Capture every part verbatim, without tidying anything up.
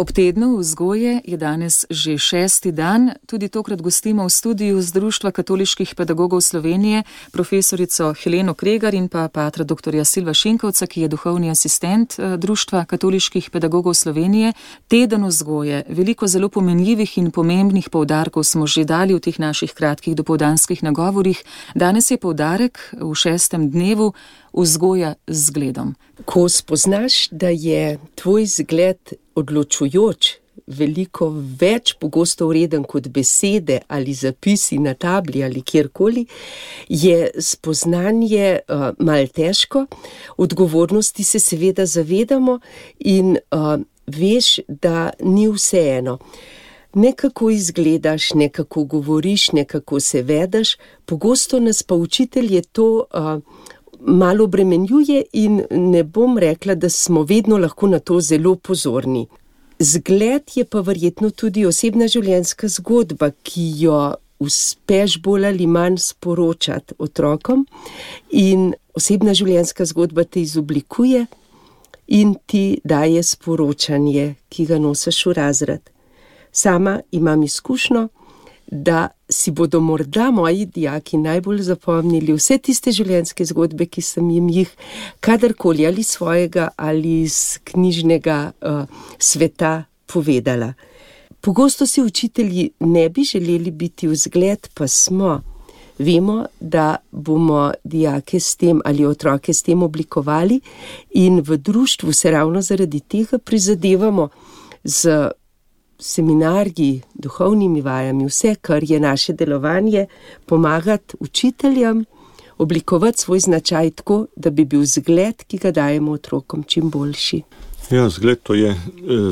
Ob tednu vzgoje je danes že šesti dan, tudi tokrat gostimo v studiu z Društva katoliških pedagogov Slovenije profesorico Heleno Kregar in pa patra doktorja Silva Šinkovca, ki je duhovni asistent Društva katoliških pedagogov Slovenije. Teden vzgoje, veliko zelo pomenljivih in pomembnih poudarkov smo že dali v teh naših kratkih dopoldanskih nagovorih. Danes je poudarek v šestem dnevu vzgoja z zgledom. Ko spoznaš, da je tvoj zgled odločujoč, veliko več pogosto vreden kot besede ali zapisi na tabli ali kjerkoli, je spoznanje uh, malo težko. Odgovornosti se seveda zavedamo in uh, veš, da ni vseeno. Nekako izgledaš, nekako govoriš, nekako se vedaš, pogosto nas pa učitelje to uh, malo obremenjuje in ne bom rekla, da smo vedno lahko na to zelo pozorni. Zgled je pa verjetno tudi osebna življenjska zgodba, ki jo uspeš bolj ali manj sporočati otrokom, in osebna življenjska zgodba te izoblikuje in ti daje sporočanje, ki ga nosiš v razred. Sama imam izkušnjo, da si bodo morda moji dijaki najbolj zapomnili vse tiste življenjske zgodbe, ki sem jim jih kadarkoli ali svojega ali iz knjižnega uh, sveta povedala. Pogosto si učitelji ne bi želeli biti vzgled, pa smo. Vemo, da bomo dijake s tem ali otroke s tem oblikovali in v društvu se ravno zaradi tega prizadevamo z seminarji, duhovnimi vajami, vse, kar je naše delovanje, pomagati učiteljem oblikovati svoj značaj tako, da bi bil zgled, ki ga dajemo otrokom, čim boljši. Ja, zgled to je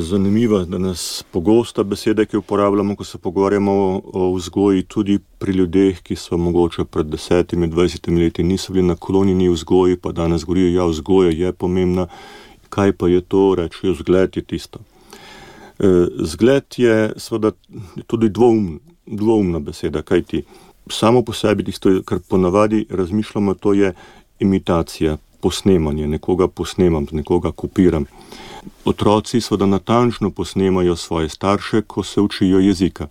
zanimivo, da nas pogosta beseda, ki uporabljamo, ko se pogovarjamo o vzgoji, tudi pri ljudeh, ki so mogoče pred desetimi, dvajsetimi leti niso bili naklonjeni vzgoji, pa danes govorijo, ja, vzgoja je pomembna, kaj pa je to, rečejo, zgled je tisto. Zgled je seveda tudi dvoumna, dvoumna beseda, kajti samo po sebi tisto, kar ponavadi razmišljamo, to je imitacija, posnemanje, nekoga posnemam, nekoga kopiram. Otroci seveda natančno posnemajo svoje starše, ko se učijo jezika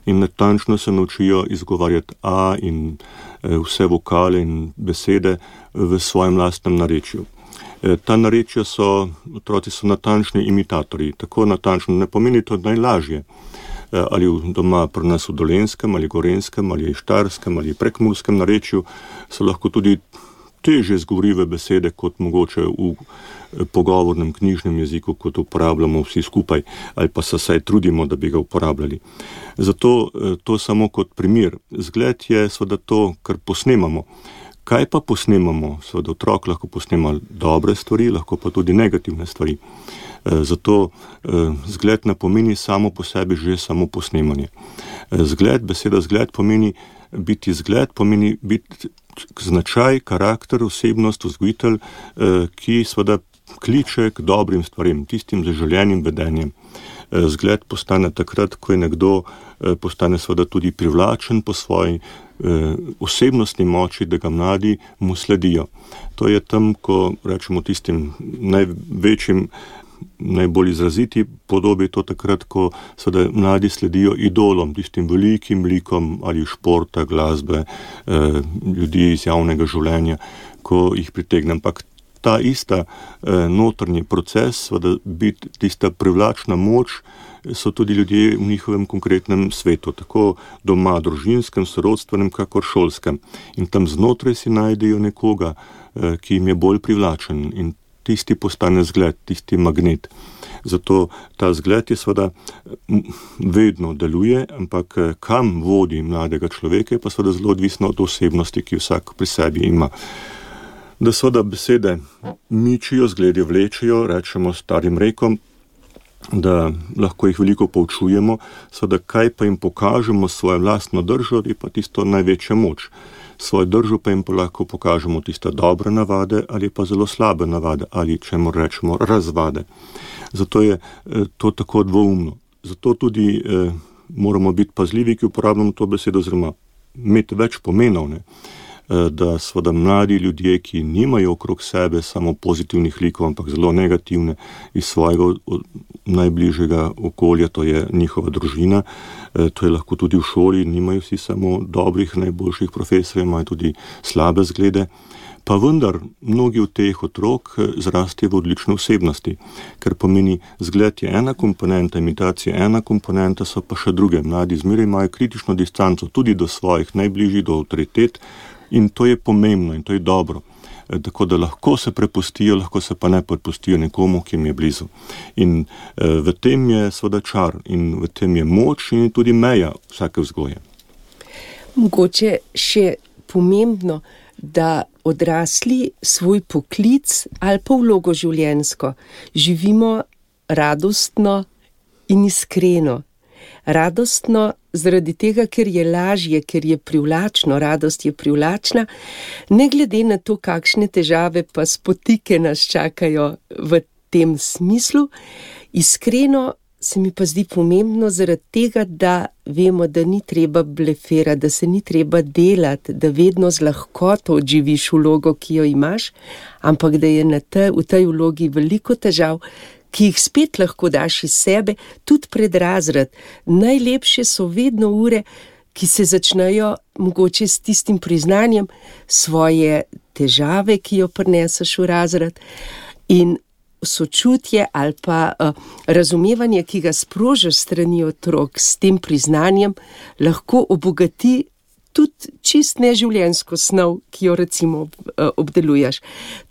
in natančno se naučijo izgovarjati a in vse vokale in besede v svojem lastnem narečju. Ta narečja so, otroci so natančni imitatorji, tako natančno ne pomeni to najlažje. Ali doma pri nas v Dolenjskem, ali Gorenskem, ali Štajerskem, ali Prekmurskem narečju so lahko tudi teže zgovorive besede, kot mogoče v pogovornem knjižnem jeziku, kot uporabljamo vsi skupaj, ali pa se saj trudimo, da bi ga uporabljali. Zato to samo kot primer. Zgled je seveda to, kar posnemamo. Kaj pa posnemamo? Seveda otrok lahko posnema dobre stvari, lahko pa tudi negativne stvari. Zato zgled ne pomeni samo po sebi že samo posnemanje. Zgled, beseda zgled pomeni biti zgled, pomeni biti značaj, karakter, osebnost, vzgojitelj, ki seveda kliče k dobrim stvarem, tistim zaželenim vedenjem. Zgled postane takrat, ko je nekdo postane seveda tudi privlačen po svoji osebnostni moči, da ga mladi mu sledijo. To je tam, ko rečemo tistim največjim, najbolj izraziti podobi, to takrat, ko seveda mladi sledijo idolom, tistim velikim likom ali športa, glasbe, ljudi iz javnega življenja, ko jih pritegne. Ampak ta ista notrni proces, seveda biti tista privlačna moč, so tudi ljudje v njihovem konkretnem svetu, tako doma, družinskem, sorodstvenem, kakor šolskem. In tam znotraj si najdejo nekoga, ki jim je bolj privlačen in tisti postane zgled, tisti magnet. Zato ta zgled je seveda vedno deluje, ampak kam vodi mladega človeka, je pa seveda zelo odvisno od osebnosti, ki vsak pri sebi ima. Da seveda besede mičijo, zgledi vlečejo, rečemo starim rekom, da lahko jih veliko poučujemo, seveda kaj pa jim pokažemo svojo lastno držo, je pa tisto največja moč. Svojo držo pa jim pa lahko pokažemo tiste dobre navade ali pa zelo slabe navade ali čemu rečemo razvade. Zato je to tako dvoumno. Zato tudi eh, moramo biti pazljivi, ki uporabljamo to besedo, oziroma imeti več pomenov. Ne? da seveda mladi ljudje, ki nimajo okrog sebe samo pozitivnih likov, ampak zelo negativne iz svojega najbližjega okolja, to je njihova družina, to je lahko tudi v šoli, nimajo vsi samo dobrih, najboljših profesorjev, imajo tudi slabe zglede. Pa vendar, mnogi od teh otrok zrastejo v odlične osebnosti, ker pomeni, zgled je ena komponenta, imitacija ena komponenta, so pa še druge. Mladi zmeraj imajo kritično distanco tudi do svojih najbližjih, do avtoritet in to je pomembno in to je dobro. Tako da lahko se prepustijo, lahko se pa ne prepustijo nekomu, ki jim je blizu. In v tem je seveda čar in v tem je moč in tudi meja vsake vzgoje. Mogoče še pomembno, da odrasli svoj poklic ali pa vlogo življenjsko živimo radostno in iskreno. Radostno zaradi tega, ker je lažje, ker je privlačno, radost je privlačna, ne glede na to, kakšne težave pa spotike nas čakajo v tem smislu. Iskreno se mi pa zdi pomembno zaradi tega, da vemo, da ni treba blefirati, da se ni treba delati, da vedno z lahkoto odživiš vlogo, ki jo imaš, ampak da je na te, v tej vlogi veliko težav, ki jih spet lahko daš iz sebe, tudi pred razred. Najlepše so vedno ure, ki se začnejo mogoče s tistim priznanjem svoje težave, ki jo prineseš v razred, in sočutje ali pa uh, razumevanje, ki ga sprožiš strani otrok s tem priznanjem, lahko obogati tudi čist neživljenjsko snov, ki jo recimo uh, obdeluješ.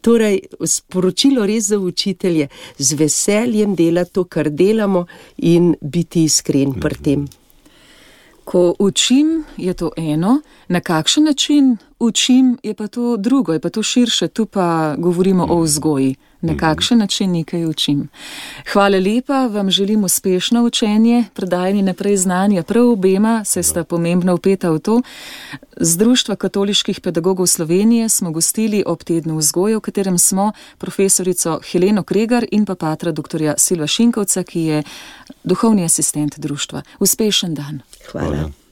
Torej, sporočilo res za učitelje, z veseljem delati to, kar delamo in biti iskren pri tem. Ko učim, je to eno, na kakšen način učim, je pa to drugo, je pa to širše, tu pa govorimo o vzgoji. Na kakšen način nekaj učim. Hvala lepa, vam želim uspešno učenje, predajanje naprej znanja prav obema, saj sta pomembno vpeta v to. Z Društva katoliških pedagogov Slovenije smo gostili ob tednu vzgoje, v katerem smo profesorico Heleno Kregar in pa patra doktorja Silva Šinkovca, ki je duhovni asistent društva. Uspešen dan. Hvala. Hvala.